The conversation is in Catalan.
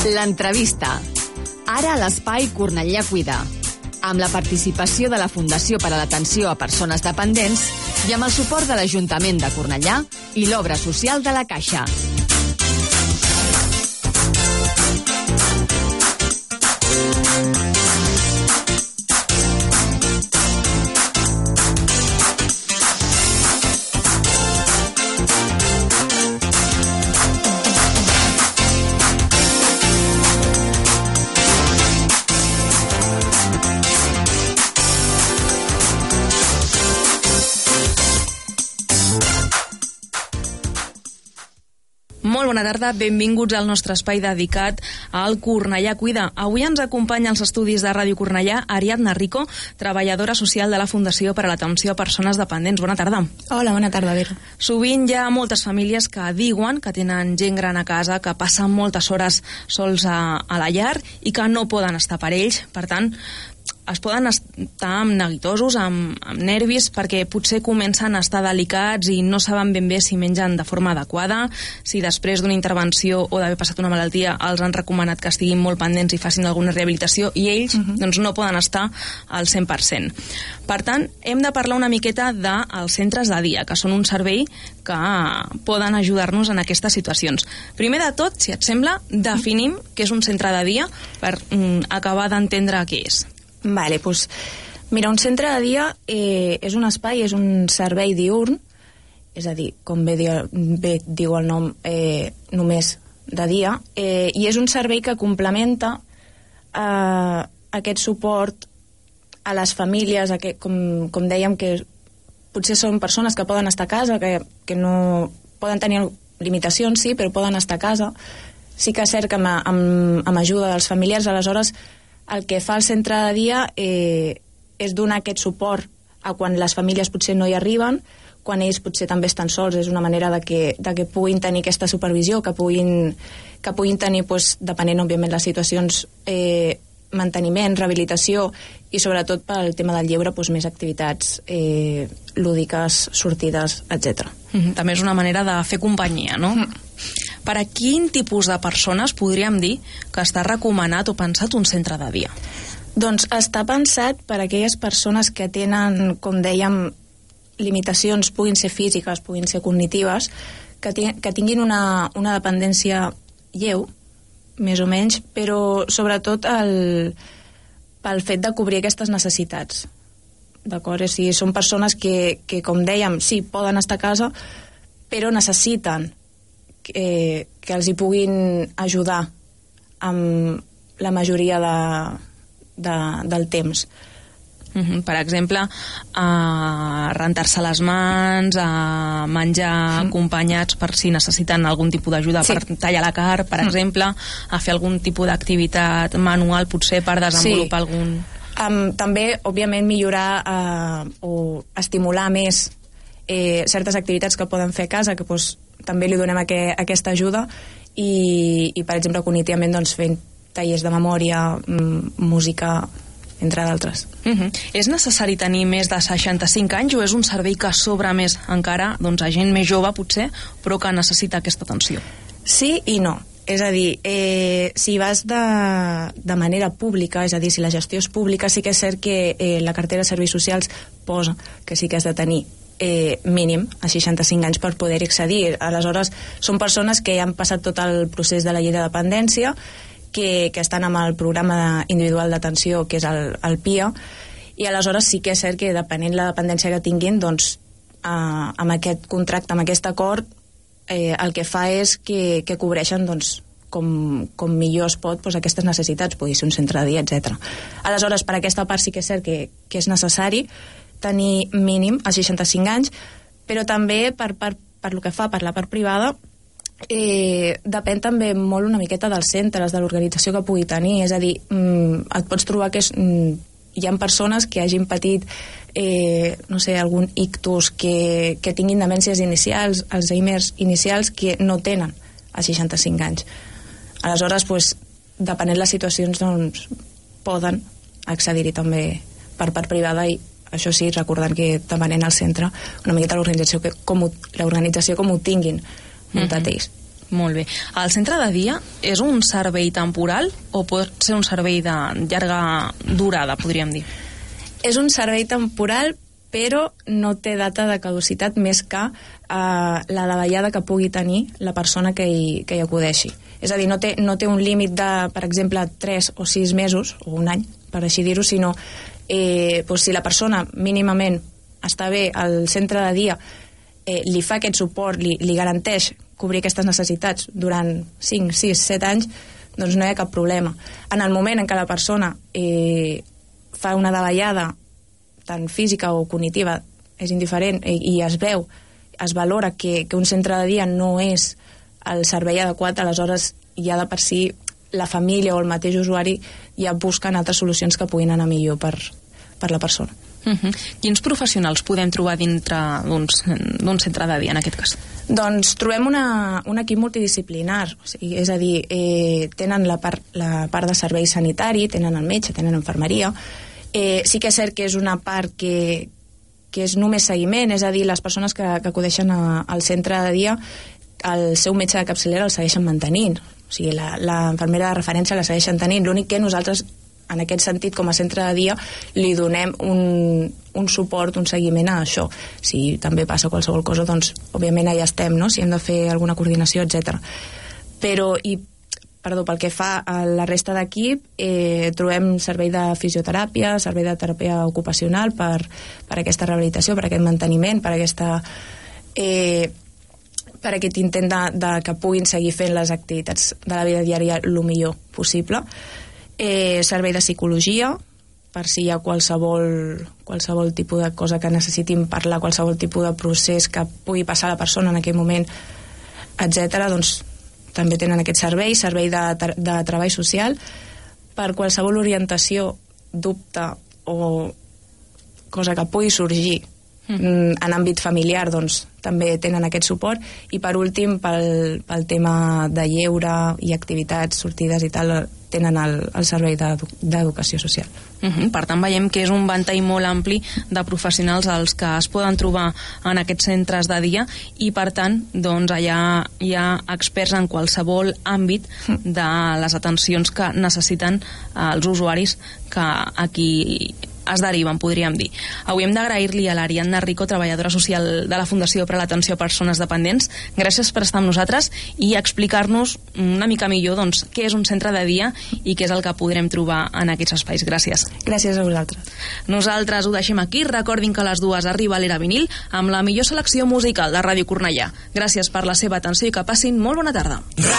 L'entrevista. Ara a l'Espai Cornellà Cuida. Amb la participació de la Fundació per a l'Atenció a Persones Dependents i amb el suport de l'Ajuntament de Cornellà i l'Obra Social de la Caixa. Molt bona tarda, benvinguts al nostre espai dedicat al Cornellà Cuida. Avui ens acompanya als estudis de Ràdio Cornellà Ariadna Rico, treballadora social de la Fundació per a l'Atenció a Persones Dependents. Bona tarda. Hola, bona tarda, Vera. Sovint hi ha moltes famílies que diuen que tenen gent gran a casa, que passen moltes hores sols a la llar i que no poden estar per ells. Per tant, es poden estar neguitosos, amb nervis, perquè potser comencen a estar delicats i no saben ben bé si mengen de forma adequada, si després d'una intervenció o d'haver passat una malaltia els han recomanat que estiguin molt pendents i facin alguna rehabilitació, i ells doncs, no poden estar al 100%. Per tant, hem de parlar una miqueta dels centres de dia, que són un servei que poden ajudar-nos en aquestes situacions. Primer de tot, si et sembla, definim què és un centre de dia per acabar d'entendre què és. Vale, doncs, mira, un centre de dia és un espai, és un servei diürn, és a dir, com bé diu el nom, només de dia, i és un servei que complementa aquest suport a les famílies, com dèiem, que potser són persones que poden estar a casa, que no poden tenir limitacions, sí, però poden estar a casa. Sí que és cert que amb ajuda dels familiars, aleshores, el que fa el centre de dia és donar aquest suport a quan les famílies potser no hi arriben, quan ells potser també estan sols. És una manera de que puguin tenir aquesta supervisió, que puguin tenir, depenent, òbviament, les situacions, manteniment, rehabilitació i, sobretot, pel tema del lleure, més activitats lúdiques, sortides, etc. També és una manera de fer companyia, no? Per a quin tipus de persones podríem dir que està recomanat o pensat un centre de dia? Doncs està pensat per a aquelles persones que tenen, com dèiem, limitacions, puguin ser físiques, puguin ser cognitives, que tinguin una dependència lleu, més o menys, però sobretot pel fet de cobrir aquestes necessitats. D'acord? O sigui, són persones que, com dèiem, sí, poden estar a casa, però necessiten que els hi puguin ajudar amb la majoria del temps. Per exemple, a rentar-se les mans, a menjar acompanyats per si necessiten algun tipus d'ajuda, per tallar la carn, per exemple, a fer algun tipus d'activitat manual, potser per desenvolupar algun... També, òbviament, millorar o estimular més certes activitats que poden fer a casa, que també li donem aquesta ajuda, i per exemple, cognitivament, fent tallers de memòria, música, entre d'altres. És necessari tenir més de 65 anys o és un servei que s'obre més encara a gent més jove, potser, però que necessita aquesta atenció? Sí i no. És a dir, si vas de manera pública, és a dir, si la gestió és pública, sí que és cert que la cartera de serveis socials posa que sí que has de tenir mínim a 65 anys per poder accedir. Aleshores, són persones que ja han passat tot el procés de la llei de dependència, que estan amb el programa individual d'atenció, que és el PIA, i aleshores sí que és cert que depenent la dependència que tinguin, amb aquest contracte, amb aquest acord, el que fa és que cobreixen com millor es pot aquestes necessitats, pugui ser un centre de dia, etc. Aleshores, per aquesta part sí que és cert que és necessari tenir mínim a 65 anys, però també per lo que fa per la part privada depèn també molt una miqueta dels centres, de l'organització que pugui tenir. És a dir, et pots trobar que hi ha persones que hagin patit algun ictus, que tinguin demències inicials, Alzheimer's inicials, que no tenen a 65 anys. Aleshores, depenent les situacions, poden accedir-hi també per part privada, i això sí, recordant que depenent al centre una miqueta l'organització com ho tinguin muntat ells. Molt bé. El centre de dia és un servei temporal o pot ser un servei de llarga durada, podríem dir? És un servei temporal, però no té data de caducitat més que la davallada que pugui tenir la persona que hi acudeixi. És a dir, no té un límit de, per exemple, 3 o 6 mesos, o un any, per així dir-ho, sinó doncs si la persona mínimament està bé al centre de dia, li fa aquest suport, li garanteix cobrir aquestes necessitats durant 5, 6, 7 anys, doncs no hi ha cap problema. En el moment en què la persona fa una davallada tant física o cognitiva, és indiferent, i es veu, es valora que un centre de dia no és el servei adequat, aleshores ja de per si la família o el mateix usuari ja busquen altres solucions que puguin anar millor per la persona. Quins professionals podem trobar dintre d'un centre de dia, en aquest cas? Doncs trobem un equip multidisciplinar, o sigui, és a dir, tenen la part de servei sanitari, tenen el metge, tenen infermeria. Sí que és cert que és una part que és només seguiment, és a dir, les persones que acudeixen al centre de dia, el seu metge de capçalera el segueixen mantenint, o sigui, la infermera de referència la segueixen tenint, l'únic que nosaltres en aquest sentit, com a centre de dia, li donem un suport, un seguiment a això. Si també passa qualsevol cosa, doncs, òbviament, allà estem, no?, si hem de fer alguna coordinació, etc. Però, pel que fa a la resta d'equip, trobem servei de fisioteràpia, servei de teràpia ocupacional per aquesta rehabilitació, per aquest manteniment, per aquest intent que puguin seguir fent les activitats de la vida diària el millor possible. Servei de psicologia, per si hi ha qualsevol tipus de cosa que necessitin parlar, qualsevol tipus de procés que pugui passar a la persona en aquell moment, etc. Doncs també tenen aquest servei de treball social, per qualsevol orientació, dubte o cosa que pugui sorgir en àmbit familiar, doncs també tenen aquest suport, i per últim pel tema de lleure i activitats, sortides i tal, tenen el servei d'educació social. Per tant, veiem que és un ventall molt ampli de professionals els que es poden trobar en aquests centres de dia, i per tant, doncs, allà hi ha experts en qualsevol àmbit de les atencions que necessiten els usuaris que aquí es deriven, podríem dir. Avui hem d'agrair-li a l'Ariadna Rico, treballadora social de la Fundació per a l'Atenció a Persones Dependents. Gràcies per estar amb nosaltres i explicar-nos una mica millor, doncs, què és un centre de dia i què és el que podrem trobar en aquests espais. Gràcies. Gràcies a vosaltres. Nosaltres ho deixem aquí. Recordin que a les 2 arriba l'Era Vinil amb la millor selecció musical de Ràdio Cornellà. Gràcies per la seva atenció i que passin molt bona tarda.